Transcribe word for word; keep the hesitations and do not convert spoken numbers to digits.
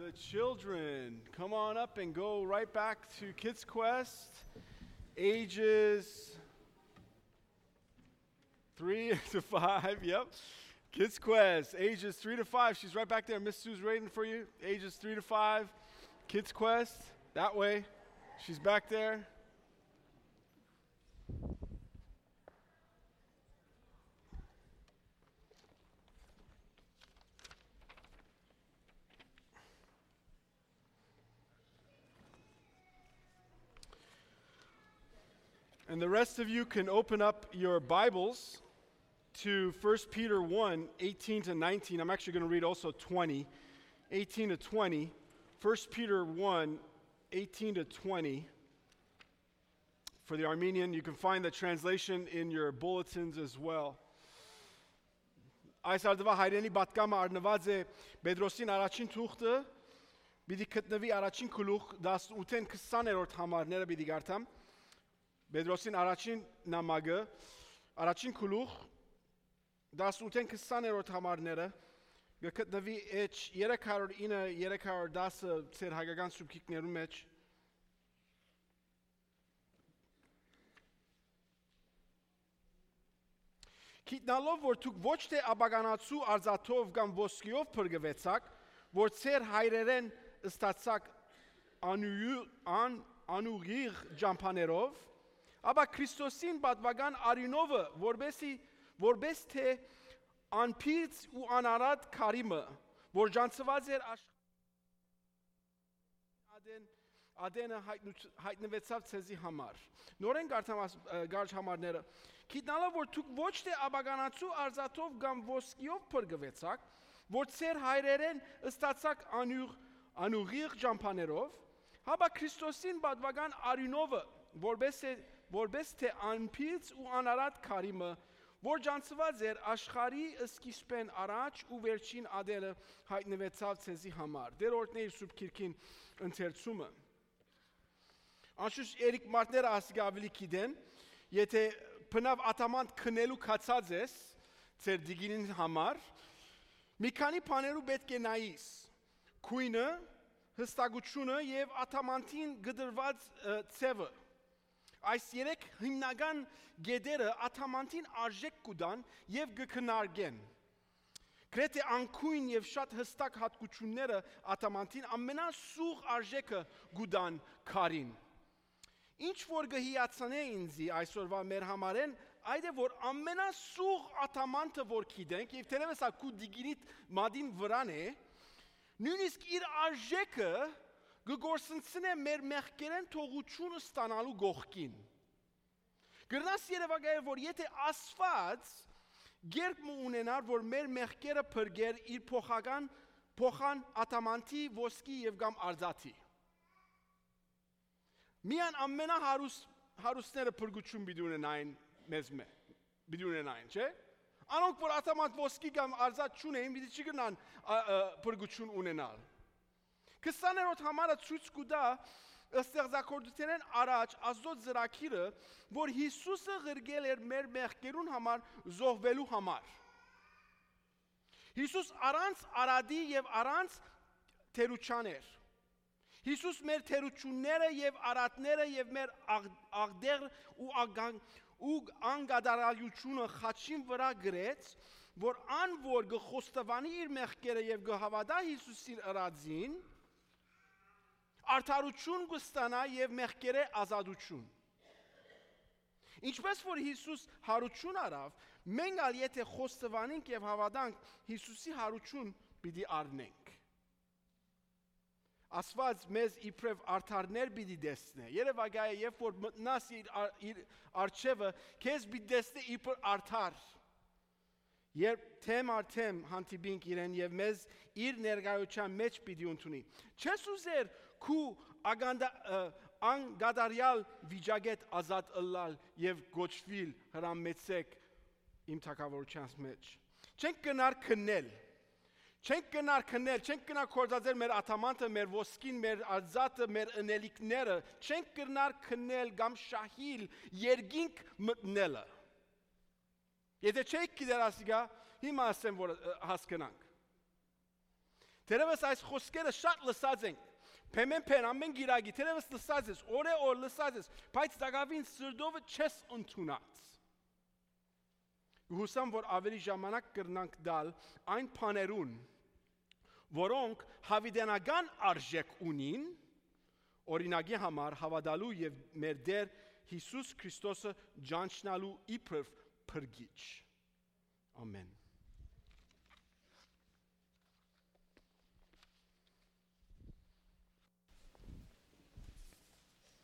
The children, come on up and go right back to Kids Quest, ages three to five. Yep. Kids Quest, ages three to five. She's right back there. Miss Sue's waiting for you. Ages three to five. Kids Quest, that way. She's back there. And the rest of you can open up your Bibles to First Peter one, eighteen to nineteen. I'm actually gonna read also twenty, eighteen to twenty. First Peter one, eighteen to twenty. For the Armenian, you can find the translation in your bulletins as well. Այս արդուայ հայրենի պատգամը առնուած է Պետրոսին առաջին թուղթը, պիտի գտնուի առաջին գլուխ, տասնութ քսաներորդ համարները պիտի կարդամ։ Պետրոսին առաջին նամակը, առաջին գլուխ, տասնութ քսաներորդ համարները, կը գտնուի էջ երեք հարյուր ինը, երեք հարյուր տասը ձեր հայկական սուբքիկներու մէջ։ Գիտնալով որ դուք ոչ թէ ապականացու արծաթով կամ ոսկիով փրկուեցաք, որ ձեր հայրերէն ստացաք անուի-, ան-, անուղիղ ճամբաներով, ապա Քրիստոսին պատուական արիւնովը, որպեսի, որպես թէ անփիծ ու անարատ քարի մը, որ ճանչցուած էր աշխ-, ատեն, ատենը յայտնուց-, յայտնուեցաւ ձեզի համար։ Նորէն կարդամ աս-, ը, կարճ համարները։ Գիտնալով որ դուք ոչ թէ ապականացու արծաթով կամ ոսկիով փրկուեցաք, որ ձեր հայրերէն ստացաք անուղ-, անուղիղ ճամբաներով, հապա Քրիստոսին պատուական արիւնովը, որպես է, որպես թէ անփիծ ու անարատ քարի մը, որ ճանչցուած էր աշխարհի սկիզբէն առաջ ու վերջին ատենը յայտնուեցաւ ձեզի համար։ Տեր օրհնէ իր Սուրբ Գիրքին ընթերցումը։ Անշուշտ երեք մարդները ասիկա աւելի գիտեն, եթե բնաւ ադամանդ քնելու գացած ես ձեր տիկինին համար, մի քանի բաներու պէտք է նայիս։ Քոյնը, հստակութիւնը եւ ադամանդին կտրուած, ը, ձեւը։ Այս երեք հիմնական կետերը ադամանդին արժէք կու տան եւ կը քննարկեն։ Գրեթէ անկոյն եւ շատ հստակ յատկութիւնները ադամանդին ամենասուղ արժէքը կու տան քարին։ Ինչ որ կը հիացնէ ինծի այսօրուայ մեր համարէն, այդ է որ ամենասուղ ադամանդը որ գիտենք, եւ թերեւս ա քու տիկինիդ մատին վրան է, նոյնիսկ իր արժէքը կը կորսնցնէ մեր մեղքերէն թողութիւն ստանալու կողքին։ Կրնաս երեւակայել որ եթե Աստուած կերպ մը ունենար որ մեր մեղքերը փրկեր իր փոխական, փոխան ադամանդի, ոսկի եւ կամ արծաթի։ Միան ամենահարուս-, հարուստները փրկութիւն պիտի ունենային մեզմէ, պիտի ունենային, չէ՞։ Անոնք որ ադամանդ, ոսկի կամ արծաթ չունէին, պիտի չկրնան, ա, ա, փրկութիւն ունենալ։ Քսաներորդ համարը ցոյց կու տայ ստեղծագործութենէն առաջ Աստուծոյ ծրագիրը, որ Յիսուսը ղրկել էր մեր մեղքերուն համար զոհուելու համար։ Յիսուս առանց արատի եւ առանց թերութեան էր։ Յիսուս մեր թերութիւնները եւ արատները եւ մեր աղ-, աղտեղ ու ագան-, ու անկատարալիությունը խաչին վրայ գրեց, որ ան որ կը խոստովանի իր մեղքերը եւ կը հաւատայ Յիսուսին ըրածին, արդարութիւն կը ստանայ եւ մեղքերէ ազատութիւն։ Ինչպէս որ Յիսուս յարութիւն առաւ, մենք ալ եթե խոստովանենք եւ հաւատանք, Յիսուսի յարութիւն պիտի առնենք։ Աստուած մեզ իբրեւ արդարներ պիտի տեսնէ։ Երեւակայ է, երբ որ մտնաս իր ա-, իր առջեւը, քեզ պիտի տեսնէ իբր արդար։ Երբ թեմ առ թեմ հանդիպինք իրեն եւ մեզ իր ներկայութեան մէջ պիտի ընդունի։ Չես ուզեր քու ագանդա-, ը, անկատարեալ վիճակէդ ազատ ըլլալ եւ կոչուիլ հրամեցեք իմ թագաւորութեանց մէջ։ Չենք կրնար քննել։ Չենք կրնար քննել, չենք կրնար գործածել մեր ադամանդը, մեր ոսկին, մեր արծաթը, մեր ընելիքները, չենք կրնար քննել կամ շահիլ երկինք մտնելը։ Եթե չէիք գիտեր ասիկա, հիմա ասեմ որ, ը, հասկնանք։ Թերևս այս խօսքերը շատ լսած ենք, փեմեն փեն, ամեն գիրագի, թերևս լսած ես, օրէ օր լսած ես, բայց տակաւին սրտովը չես ընդունած։ Կը յուսամ, որ աւելի ժամանակ կրնանք տալ այն բաներուն, որոնք յաւիտենական արժէք ունին, օրինակի համար, հաւատալու եւ մեր Տէր Յիսուս Քրիստոսը ճանչնալու իբրեւ փրկիչ։